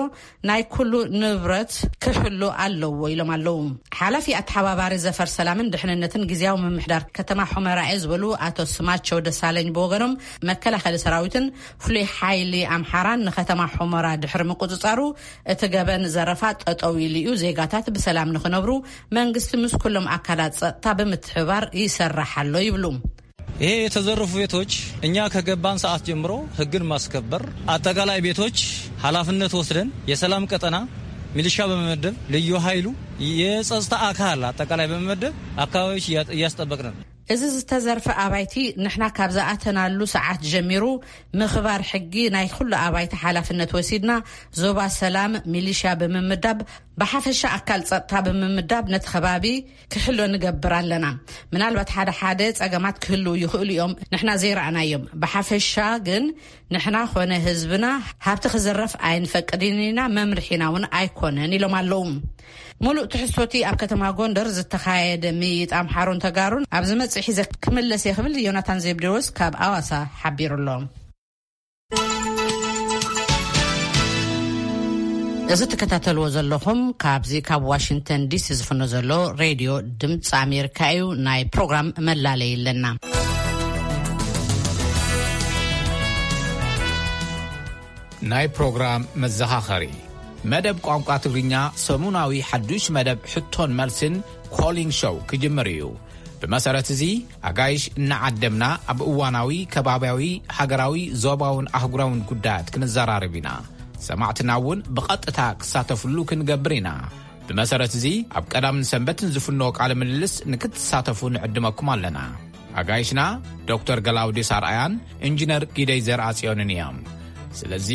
ናይ ኩሉ ንብረት ክሕሉ ኣለዎ ኢሎም ኣለዉ። ሓላፊ ኣተሓባባሪ ዘፈር ሰላምን ድሕንነትን ግዝያዊ ምምሕዳር ከተማ ሑመራ እየ ዝበሉ ኣቶ ስማቸው ደሳለኝ ብወገኖም፣ መከላኸሊ ሰራዊትን ፍሉይ ሓይሊ ኣምሓራን ንከተማ ሑመራ ድሕሪ ምቁጽጻሩ፣ እቲ ገበን ዘረፋ ጠጠው ኢሉ እዩ። ዜጋታት ብሰላም ንክነብሩ መንግስቲ ምስ ኩሎም ኣካላት ጸጥታ ብምትሕባር ይሰርሕ ኣሎ ይብሉ። ይሄ የተዘረፉ ቤቶች እኛ ከገባን ሰዓት ጀምሮ ህግን ማስከበር፣ አጠቃላይ ቤቶች ኃላፊነት ወስደን የሰላም ቀጠና ሚሊሻ በመመደብ፣ ልዩ ኃይሉ፣ የጸጥታ አካል አጠቃላይ በመመደብ አካባቢዎች እያ-፣ እያስጠበቅን ነው። እዚ ዝተዘርፈ ኣባይቲ ንሕና ካብ ዝኣተናሉ ሰዓት ጀሚሩ ምኽባር ሕጊ ናይ ኩሉ ኣባይቲ ሓላፍነት ወሲድና፣ ዞባ ሰላም ሚሊሻ ብምምዳብ፣ ብሓፈሻ ኣካል ጸጥታ ብምምዳብ ነቲ ከባቢ ክሕሎ ንገብር ኣለና። ምናልባት ሓደ ሓደ ጸገማት ክህልዉ ይኽእሉ እዮም፣ ንሕና ዘይረኣናዮም። ብሓፈሻ ግን ንሕና ኾነ ህዝብና ሃብቲ ክዝረፍ ኣይንፈቅድን ኢና፣ መምርሒና እውን ኣይኮነን ኢሎም ኣለዉ። ሙሉእ ትሕዝቶቲ ኣብ ከተማ ጎንደር ዝተኻየደ ምይይጥ ኣምሓሩን ተጋሩን ኣብ ዝመጽእ ሒዘ ክምለስ እየ ክብል ዮናታን ዘብዴዎስ ካብ ኣዋሳ ሓቢሩ ኣሎ። እዚ ትከታተልዎ ዘለኹም ካብዚ ካብ ዋሽንግተን ዲሲ ዝፍኖ ዘሎ ሬድዮ ድምፂ ኣሜሪካ እዩ። ናይ ፕሮግራም መላለይ ኣለና። ናይ ፕሮግራም መዘኻኸሪ። መደብ ቋንቋ ትግርኛ ሰሙናዊ ሓዱሽ መደብ ሕቶን መልስን ኮሊንግ ሾው ክጅምር እዩ። ብመሰረት እዚ፣ ኣጋይሽ እናዓደምና ኣብ እዋናዊ፣ ከባብያዊ፣ ሃገራዊ፣ ዞባውን ኣህጉራውን ጉዳያት ክንዘራረብ ኢና። ሰማዕትና እውን ብቐጥታ ክሳተፍሉ ክንገብር ኢና። ብመሰረት እዚ፣ ኣብ ቀዳምን ሰንበትን ዝፍኖ ቃለ ምልልስ ንክትሳተፉ ንዕድመኩም ኣለና። ኣጋይሽና ዶክተር ገላውዴስ ኣርኣያን ኢንጂነር ጊደይ ዘርኣጽዮንን እዮም። ስለዚ፣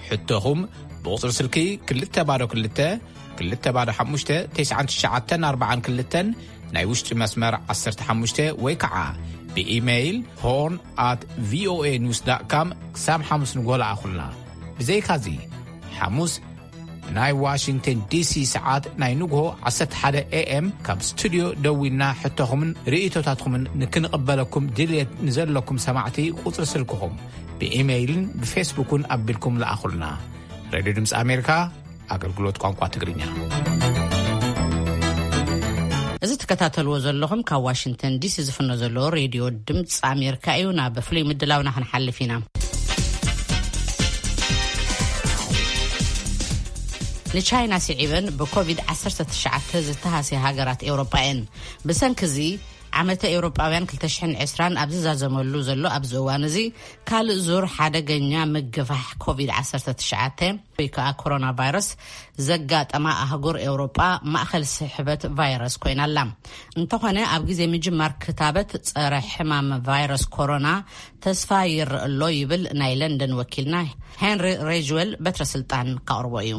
ሕቶኹም ብቑጽሪ ስልኪ ክልተ ባዶ ክልተ፣ ክልተ ባዶ ሓሙሽተ፣ ተስዓን ትሽዓተን ኣርባዓን ክልተን ናይ ውሽጢ መስመር ዓሰርተ ሓሙሽተ ወይ ከዓ ብኢሜይል ሆርን ኣት ቪኦኤ ኒውስ ዳት ካም ክሳብ ሓሙስ ንግሆ ለኣኹልና። ብዘይካዚ፣ ሓሙስ ናይ ዋሽንግተን ዲሲ ሰዓት ናይ ንግሆ ዓሰርተ ሓደ ኤ ኤም ካብ ስቱድዮ ደዊልና ሕቶኹምን ርእይቶታትኩምን ንክንቕበለኩም ድልየት ንዘለኩም ሰማዕቲ ቁጽሪ ስልክኹም ብኢሜይልን ብፌስቡክን ኣቢልኩም ለኣኹልና። ሬድዮ ድምፂ ኣሜሪካ፣ ኣገልግሎት ቋንቋ ትግርኛ። እዚ ትከታተልዎ ዘለኹም ካብ ዋሽንግተን ዲሲ ዝፍኖ ዘሎ ሬድዮ ድምፂ ኣሜሪካ እዩ። ናብ ፍሉይ ምድላውና ክንሓልፍ ኢና። ንቻይና ስዒበን ብኮቪድ ዓሰርተ ትሽዓተ ዝተሃስያ ሃገራት ኤውሮጳ እየን። ብሰንኪ እዚ፣ ዓመተ ኤውሮጳውያን ክልተ ሽሕን ዕስራን ኣብ ዝዛዘመሉ ዘሎ ኣብዚ እዋን እዚ፣ ካልእ ዙር ሓደገኛ ምግፋሕ ኮቪድ ዓሰርተ ትሽዓተ ወይ ከዓ ኮሮና ቫይረስ ዘጋጠማ ኣህጉር ኤውሮጳ ማእኸል ስሕበት ቫይረስ ኮይና ኣላ። እንተኾነ፣ ኣብ ግዜ ምጅማር ክታበት ጸረ ሕማም ቫይረስ ኮሮና ተስፋ ይረአ ኣሎ ይብል ናይ ለንደን ወኪልና ሄንሪ ሬጅዌል በትረ ስልጣን ካቕርቦ እዩ።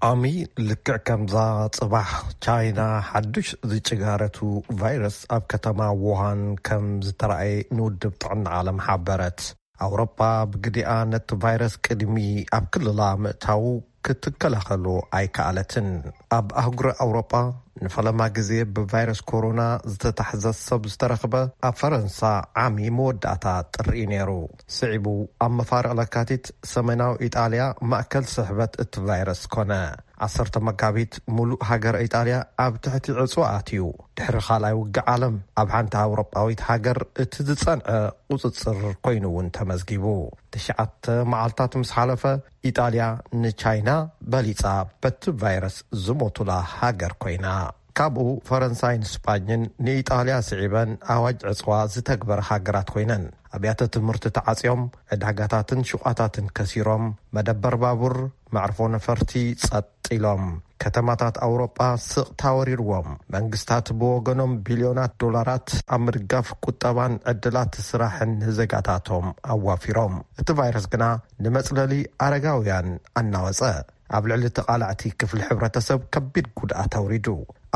ኣሚ ልክዕ ከምዛ ጽባሕ ቻይና ሓዱሽ ዝጭጋረቱ ቫይረስ ኣብ ከተማ ውሃን ከም ዝተራእየ ንውድብ ጥዕና ዓለም ሓበረት። ኣውሮጳ ብግዲኣ ነቲ ቫይረስ ቅድሚ ኣብ ክልላ ምእታዉ ክትከላኸሎ ኣይከኣለትን። ኣብ ኣህጉረ ኣውሮጳ ንፈለማ ግዜ ብቫይረስ ኮሮና ዝተታሕዘ ሰብ ዝተረኽበ ኣብ ፈረንሳ ዓሚ መወዳእታ ጥሪ እዩ ነይሩ። ስዒቡ ኣብ መፋርቕ ለካቲት ሰሜናዊ ኢጣልያ ማእከል ስሕበት እቲ ቫይረስ ኮነ። ዓሰርተ መጋቢት፣ ሙሉእ ሃገር ኢጣልያ ኣብ ትሕቲ ዕጽዋ ኣትዩ። ድሕሪ ካልኣይ ውግእ ዓለም፣ ኣብ ሓንቲ ኣውሮጳዊት ሃገር እቲ ዝጸንዐ ቁጽጽር ኮይኑ እውን ተመዝጊቡ። ትሽዓተ መዓልታት ምስ ሓለፈ፣ ኢጣልያ ንቻይና በሊጻ በቲ ቫይረስ ዝሞቱላ ሃገር ኮይና። ካብኡ ፈረንሳይን ስጳኝን ንኢጣልያ ስዒበን ኣዋጅ ዕጽዋ ዝተግበረ ሃገራት ኮይነን። ኣብያተ ትምህርቲ ተዓጽዮም፣ ዕዳጋታትን ሹቓታትን ከሲሮም፣ መደበር ባቡር፣ መዕርፎ ነፈርቲ ጸጥ ኢሎም። ከተማታት ኣውሮጳ ስቕታ ወሪርዎም። መንግስታት ብወገኖም ቢልዮናት ዶላራት ኣብ ምድጋፍ ቁጠባን ዕድላት ስራሕን ንዜጋታቶም ኣዋፊሮም። እቲ ቫይረስ ግና ንመጽለሊ ኣረጋውያን ኣናወጸ። ኣብ ልዕሊ ተቓላዕቲ ክፍሊ ሕብረተሰብ ከቢድ ጉድኣት ኣውሪዱ።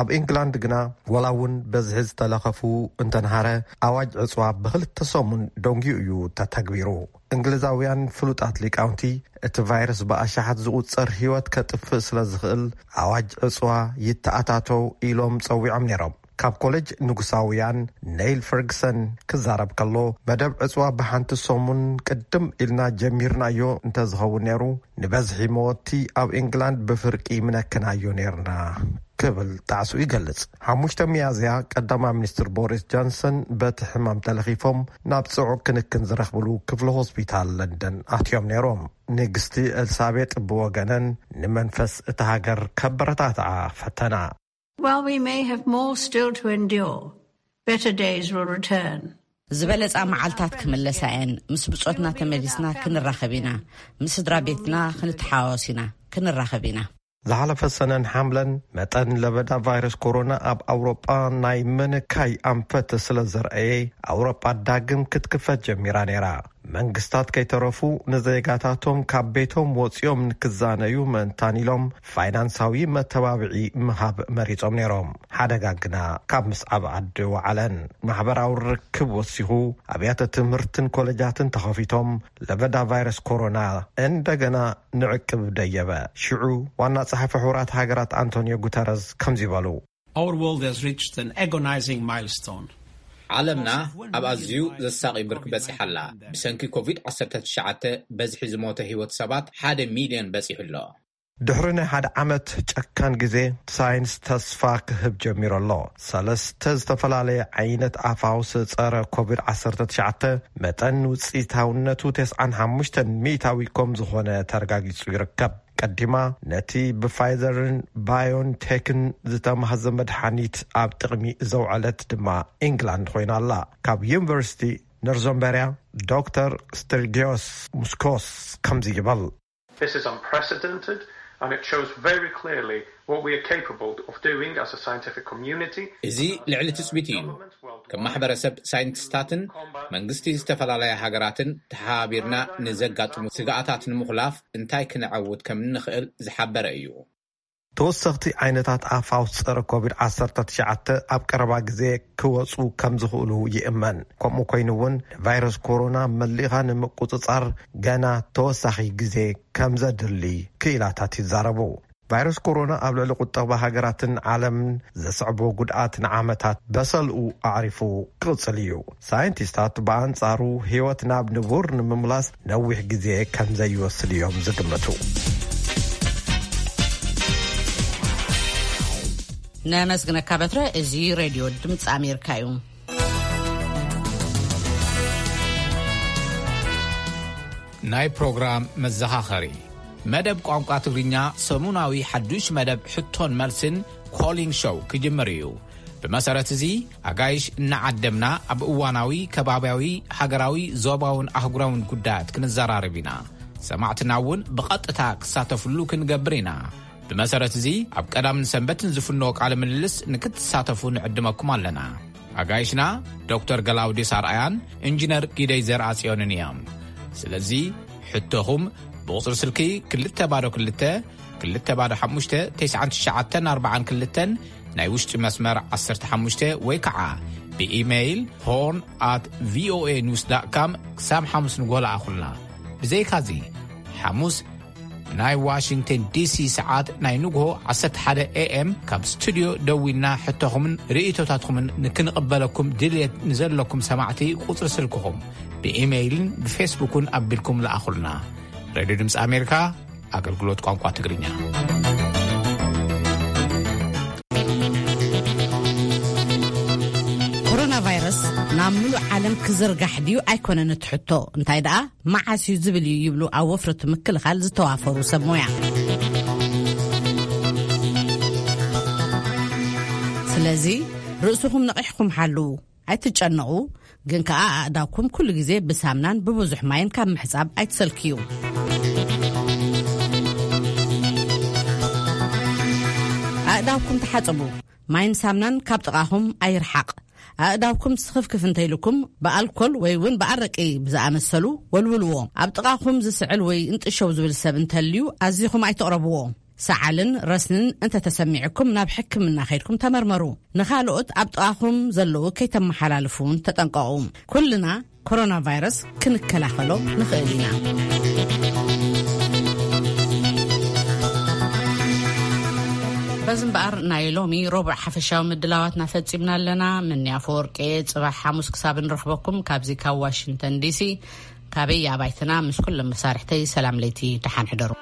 ኣብ ኢንግላንድ ግና፣ ወላ እውን በዝሒ ዝተለኸፉ እንተንሃረ፣ ኣዋጅ ዕጽዋ ብኽልተ ሰሙን ደንጊዩ እዩ ተተግቢሩ። እንግሊዛውያን ፍሉጣት ሊቃውንቲ፣ እቲ ቫይረስ ብኣሽሓት ዝቑጸር ህይወት ከጥፍእ ስለ ዝኽእል፣ ኣዋጅ ዕጽዋ ይተኣታተው ኢሎም ጸዊዖም ነይሮም። ካብ ኮሌጅ ንጉሳውያን ኔይል ፈርግሰን ክዛረብ ከሎ፣ መደብ ዕጽዋ ብሓንቲ ሰሙን ቅድም ኢልና ጀሚርናዮ እንተዝኸውን ነይሩ፣ ንበዝሒ መወቲ ኣብ ኢንግላንድ ብፍርቂ ምነክናዮ ነይርና ክብል ጣዕሱ ይገልጽ። ሓሙሽተ ሚያዝያ ቀዳማይ ሚኒስትር ቦሪስ ጆንሰን በቲ ሕማም ተለኺፎም ናብ ጽዑቕ ክንክን ዝረኽብሉ ክፍሊ ሆስፒታል ለንደን ኣትዮም ነይሮም። ንግስቲ ኤልሳቤጥ ብወገነን ንመንፈስ እታ ሃገር ከበረታትዓ ፈተና። While we may have more still to endure, better days will return. ዝበለጻ መዓልታት ክምለሳ እየን። ምስ ብጾትና ተመሊስና ክንራኸብ ኢና። ምስ ስድራ ቤትና ክንተሓዋወስ ኢና። ክንራኸብ ኢና። ዝሓለፈ ሰነን ሓምለን መጠን ለበዳ ቫይረስ ኮሮና ኣብ ኣውሮጳ ናይ ምንካይ ኣንፈት ስለ ዘርኣየ፣ ኣውሮጳ ዳግም ክትክፈት ጀሚራ ነይራ። መንግስታት ከይተረፉ ንዜጋታቶም ካብ ቤቶም ወጺኦም ንክዛነዩ ምእንታን ኢሎም ፋይናንሳዊ መተባብዒ ምሃብ መሪጾም ነይሮም። ሓደጋ ግና ካብ ምስዓብ ዓዲ ወዓለን። ማሕበራዊ ርክብ ወሲኹ፣ ኣብያተ ትምህርትን ኮለጃትን ተኸፊቶም፣ ለበዳ ቫይረስ ኮሮና እንደገና ንዕቅብ ደየበ። ሽዑ ዋና ጸሓፊ ሕቡራት ሃገራት ኣንቶኒዮ ጉተረዝ ከምዚ በሉ። Our world has reached an agonizing milestone. ዓለምና ኣብ ኣዝዩ ዘሳቒ ብርኪ በጺሓ ኣላ። ብሰንኪ ኮቪድ ዓሰርተ ትሽዓተ በዝሒ ዝሞተ ህይወት ሰባት ሓደ ሚልዮን በጺሑ ኣሎ። ድሕሪ ናይ ሓደ ዓመት ጨካን ግዜ፣ ሳይንስ ተስፋ ክህብ ጀሚሩ ኣሎ። ሰለስተ ዝተፈላለየ ዓይነት ኣፋውስ ጸረ ኮቪድ ዓሰርተ ትሽዓተ መጠን ውጽኢታውነቱ ተስዓን ሓሙሽተን ሚእታዊ ከም ዝኾነ ተረጋጊጹ ይርከብ። ቀዲማ ነቲ ብፋይዘርን ባዮንቴክን ዝተማህዘ መድሓኒት ኣብ ጥቕሚ ዘውዐለት ድማ ኢንግላንድ ኮይና ኣላ። ካብ ዩኒቨርሲቲ ኖርዘምበርያ ዶክተር ስተርጊዮስ ሙስኮስ ከምዚ ይበል። This is unprecedented, and it shows very clearly what we are capable of doing as a scientific community. እዚ ልዕሊ ትጽቢት እዩ። ከም ማሕበረሰብ ሳይንቲስታትን መንግስቲ ዝተፈላለያ ሃገራትን ተሓባቢርና ንዘጋጥሙ ስግኣታት ንምኹላፍ እንታይ ክነዐውት ከም እንኽእል ዝሓበረ እዩ። ተወሰኽቲ ዓይነታት ኣፋውስ ጸረ ኮቪድ ዓሰርተ ትሽዓተ ኣብ ቀረባ ግዜ ክወጹ ከም ዝኽእሉ ይእመን። ከምኡ ኮይኑ እውን፣ ቫይረስ ኮሮና መሊኻ ንምቁጽጻር ገና ተወሳኺ ግዜ ከም ዘድሊ ክኢላታት ይዛረቡ። ቫይረስ ኮሮና ኣብ ልዕሊ ቁጠባ ሃገራትን ዓለምን ዘስዕቦ ጉድኣት ንዓመታት በሰልኡ ኣዕሪፉ ክቕጽል እዩ። ሳይንቲስታት ብኣንጻሩ፣ ህይወት ናብ ንቡር ንምምላስ ነዊሕ ግዜ ከም ዘይወስድ እዮም ዝግምቱ። ነመስግነካ በትረ። እዚ ሬድዮ ድምፂ ኣሜሪካ እዩ። ናይ ፕሮግራም መዘኻኸሪ፣ መደብ ቋንቋ ትግርኛ፣ ሰሙናዊ ሓዱሽ መደብ ሕቶን መልስን ኮሊን ሾው ክጅምር እዩ። ብመሰረት እዚ፣ ኣጋይሽ እናዓደምና ኣብ እዋናዊ፣ ከባብያዊ፣ ሃገራዊ፣ ዞባውን ኣህጉራውን ጉዳያት ክንዘራረብ ኢና። ሰማዕትና እውን ብቐጥታ ክሳተፍሉ ክንገብር ኢና። ብመሰረት እዚ፣ ኣብ ቀዳምን ሰንበትን ዝፍኖ ቃለ ምልልስ ንክትሳተፉ ንዕድመኩም ኣለና። ኣጋይሽና ዶክተር ገላውዴስ ኣርኣያን ኢንጂነር ጊደይ ዘርኣጽዮንን እዮም። ስለዚ፣ ሕቶኹም ብቑጽሪ ስልኪ ክልተ ባዶ ክልተ፣ ክልተ ባዶ ሓሙሽተ፣ ተስዓን ትሽዓተን ኣርባዓን ክልተን፣ ናይ ውሽጢ መስመር ዓሰርተ ሓሙሽተ፣ ወይ ከዓ ብኢሜይል ሆርን ኣት ቪኦኤ ኒውስ ዳት ካም ክሳብ ሓሙስ ንግሆ ለኣኹልና። ብዘይካዚ፣ ሓሙስ ናይ ዋሽንግተን ዲሲ ሰዓት ናይ ንግሆ ዓሰርተ ሓደ ኤ ኤም ካብ ስቱድዮ ደዊልና ሕቶኹምን ርእይቶታትኩምን ንክንቕበለኩም ድልየት ንዘለኩም ሰማዕቲ፣ ቁጽሪ ስልክኹም ብኢሜይልን ብፌስቡክን ኣቢልኩም ለኣኹልና። ሬድዮ ድምፂ ኣሜሪካ፣ ኣገልግሎት ቋንቋ ትግርኛ። ኮሮና ቫይረስ ናብ ምሉእ ዓለም ክዝርጋሕ ድዩ ኣይኮነን እቲ ሕቶ፣ እንታይ ደኣ መዓስ እዩ ዝብል እዩ ይብሉ ኣብ ወፍሪ ምክልኻል ዝተዋፈሩ ሰብ ሞያ። ስለዚ ርእስኹም ነቒሕኩም ሓልዉ፣ ኣይትጨነቑ፣ ግን ከኣ ኣእዳውኩም ኩሉ ግዜ ብሳምናን ብብዙሕ ማይን ካብ ምሕጻብ ኣይትሰልክዩ። ኣእዳውኩም ተሓጸቡ፣ ማይን ሳምናን ካብ ጥቓኹም ኣይርሓቕ። ኣእዳውኩም ስኽፍክፍ እንተኢልኩም፣ ብኣልኮል ወይ እውን ብኣረቂ ብዝኣመሰሉ ወልውልዎ። ኣብ ጥቓኹም ዝስዕል ወይ እንጥሸው ዝብል ሰብ እንተልዩ፣ ኣዚኹም ኣይትቕረብዎ። ሰዓልን ረስንን እንተተሰሚዕኩም ናብ ሕክምና ከይድኩም ተመርመሩ። ንኻልኦት ኣብ ጥቓኹም ዘለዉ ከይተመሓላልፉ እውን ተጠንቀቑ። ኩልና ኮሮና ቫይረስ ክንከላኸሎ ንኽእል ኢና። በዚ እምበኣር ናይ ሎሚ ረቡዕ ሓፈሻዊ ምድላዋትና ፈጺምና ኣለና። ምንያ ኣፈወርቂ፣ ጽባሕ ሓሙስ ክሳብ ንረኽበኩም ካብዚ ካብ ዋሽንግተን ዲሲ፣ ካበይ ኣባይትና ምስ ኩሎም መሳርሕተይ ሰላም ለይቲ፣ ደሓን ሕደሩ።